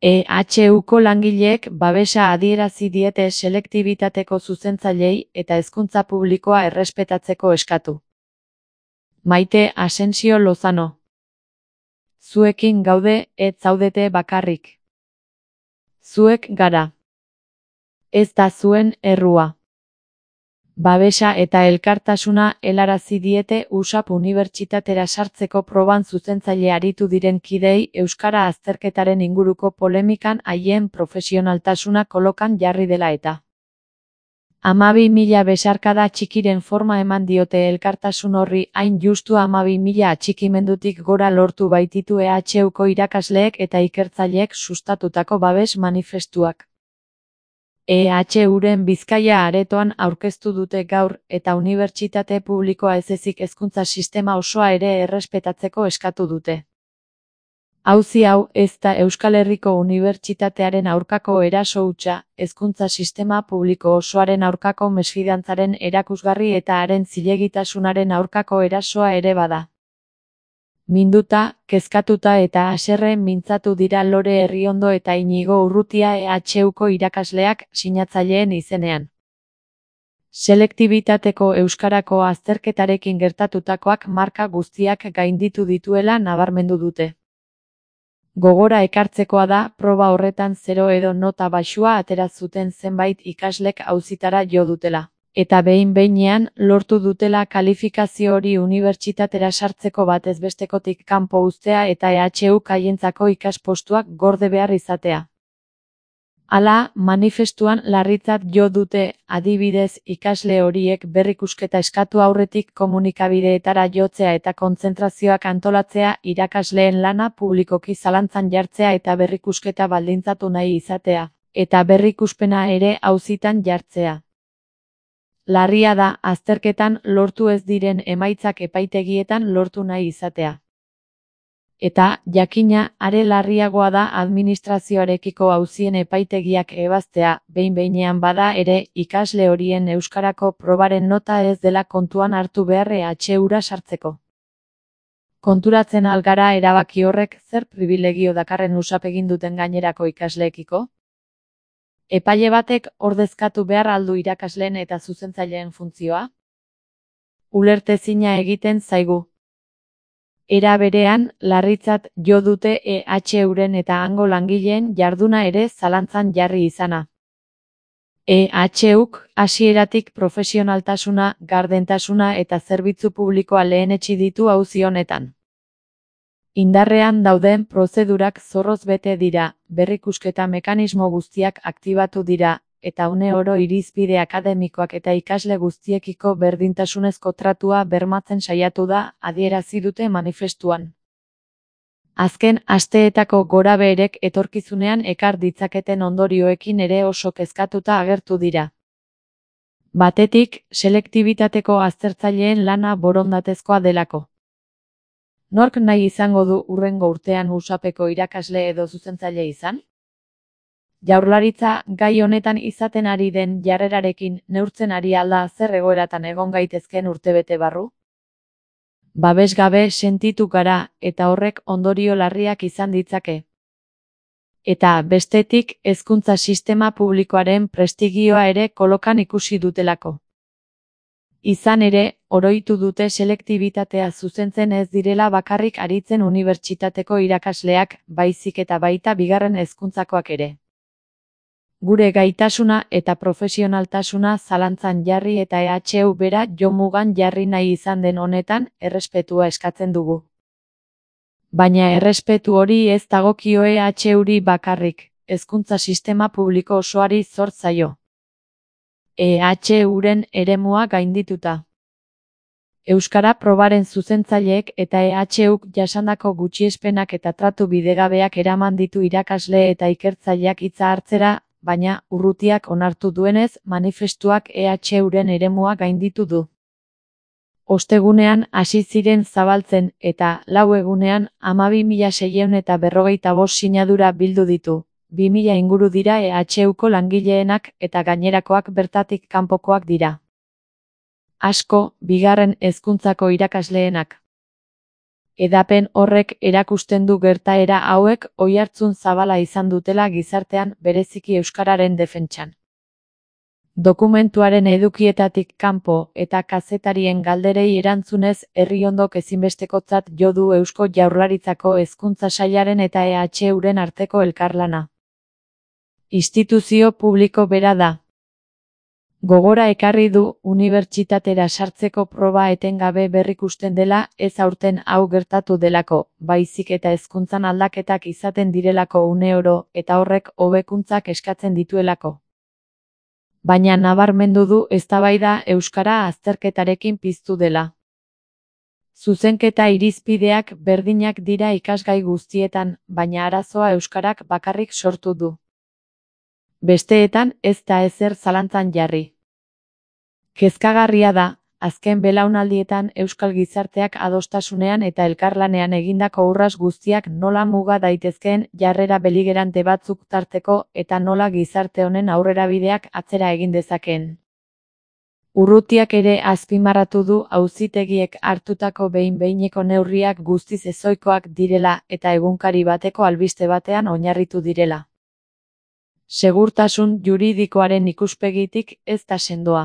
EHUko langileek babesa adierazi diete selektibitateko zuzentzaileei eta hezkuntza publikoa errespetatzeko eskatu. Maite Asensio Lozano. Zuekin gaude, ez zaudete bakarrik. Zuek gara. Ez da zuen errua. Babesa eta elkartasuna helarazi diete USAP unibertsitatera sartzeko proban zuzentzaile aritu diren kideei euskara azterketaren inguruko polemikan haien profesionaltasuna kolokan jarri dela eta. 12.000 besarkada txikiren forma eman diote elkartasun horri, hain justu 12.000 atxikimendutik gora lortu baititu EHUko irakasleek eta ikertzaileek sustatutako babes manifestuak. EHUren Bizkaia aretoan aurkeztu dute gaur, eta unibertsitate publikoa ez ezik hezkuntza sistema osoa ere errespetatzeko eskatu dute. Auzi hau ez da Euskal Herriko Unibertsitatearen aurkako eraso hutsa, hezkuntza sistema publiko osoaren aurkako mesfidantzaren erakusgarri eta haren zilegitasunaren aurkako erasoa ere bada. Minduta, kezkatuta eta haserre mintzatu dira Lore Herriondo eta Inigo Urrutia EHUko irakasleak sinatzaileen izenean. Selektibitateko euskarako azterketarekin gertatutakoak marka guztiak gainditu dituela nabarmendu dute. Gogora ekartzekoa da, proba horretan 0 edo nota baxua atera zuten zenbait ikaslek auzitara jo dutela. Eta behin-behinean lortu dutela kalifikazio hori unibertsitatera sartzeko batez bestekotik kanpo uztea eta EHUk haientzako ikaspostuak gorde behar izatea. Hala, manifestuan larritzat jo dute, adibidez, ikasle horiek berrikusketa eskatu aurretik komunikabideetara jotzea eta kontzentrazioak antolatzea, irakasleen lana publikoki zalantzan jartzea eta berrikusketa baldintzatu nahi izatea, eta berrikuspena ere auzitan jartzea. Larria da, azterketan lortu ez diren emaitzak epaitegietan lortu nahi izatea. Eta, jakina, are larriagoa da administrazioarekiko auzien epaitegiak ebaztea, behin-behinean bada ere, ikasle horien euskarako probaren nota ez dela kontuan hartu behar EHUra sartzeko. Konturatzen algara erabaki horrek zer pribilegio dakarren USAP egin duten gainerako ikasleekiko? Epaile batek ordezkatu behar aldu irakasleen eta zuzentzaileen funtzioa? Ulertezina egiten zaigu. Era berean, larritzat jo dute EHUren eta hango langileen jarduna ere zalantzan jarri izana. EHUk hasieratik profesionaltasuna, gardentasuna eta zerbitzu publikoa lehenetsi ditu auzi honetan. Indarrean dauden prozedurak zorroz bete dira, berrikusketa mekanismo guztiak aktibatu dira, eta une oro irizpide akademikoak eta ikasle guztiekiko berdintasunezko tratua bermatzen saiatu da, adierazi dute manifestuan. Azken asteetako gorabeherek etorkizunean ekar ditzaketen ondorioekin ere oso kezkatuta agertu dira. Batetik, selektibitateko aztertzaileen lana borondatezkoa delako. Nork nahi izango du hurrengo urtean USAPeko irakasle edo zuzentzaile izan? Jaurlaritza gai honetan izaten ari den jarrerarekin neurtzen ari alda zer egoeratan egon gaitezken urtebete barru? Babesgabe sentitu gara eta horrek ondorio larriak izan ditzake. Eta bestetik hezkuntza sistema publikoaren prestigioa ere kolokan ikusi dutelako. Izan ere, oroitu dute selektibitatea zuzentzen ez direla bakarrik aritzen unibertsitateko irakasleak, baizik eta baita bigarren hezkuntzakoak ere. Gure gaitasuna eta profesionaltasuna zalantzan jarri eta EHU bera jomugan jarri nahi izan den honetan, errespetua eskatzen dugu. Baina errespetu hori ez dagokio EHUri bakarrik, hezkuntza sistema publiko osoari zor zaio. EHUren eremua gaindituta. Euskara probaren zuzentzaileek eta EHUk jasandako gutxiespenak eta tratu bidegabeak eraman ditu irakasle eta ikertzaileak hitza hartzera, baina Urrutiak onartu duenez, manifestuak EHUren eremua gainditu du. Ostegunean hasi ziren zabaltzen eta 4 egunean 12.645 sinadura bildu ditu. 2.000 inguru dira EHUko langileenak eta gainerakoak bertatik kanpokoak dira. Asko, bigarren hezkuntzako irakasleenak. Edapen horrek erakusten du gertaera hauek oihartzun zabala izan dutela gizartean, bereziki euskararen defentsan. Dokumentuaren edukietatik kanpo eta kazetarien galderei erantzunez, Herriondok ezinbestekotzat jo du Eusko Jaurlaritzako Hezkuntza Sailaren eta EHUren arteko elkarlana. Instituzio publiko bera da. Gogora ekarri du, unibertsitatera sartzeko proba etengabe berrikusten dela, ez aurten hau gertatu delako, baizik eta hezkuntzan aldaketak izaten direlako uneoro, eta horrek hobekuntzak eskatzen dituelako. Baina nabarmendu du eztabaida euskara azterketarekin piztu dela. Zuzenketa irizpideak berdinak dira ikasgai guztietan, baina arazoa euskarak bakarrik sortu du. Besteetan ez da ezer zalantzan jarri. Kezkagarria da, azken belaunaldietan euskal gizarteak adostasunean eta elkarlanean egindako urrats guztiak nola muga daitezkeen jarrera beligerante batzuk tarteko eta nola gizarte honen aurrerabideak atzera egin dezakeen. Urrutiak ere azpimarratu du auzitegiek hartutako behin-behineko neurriak guztiz ezohikoak direla eta egunkari bateko albiste batean oinarritu direla. Segurtasun juridikoaren ikuspegitik ez da sendoa.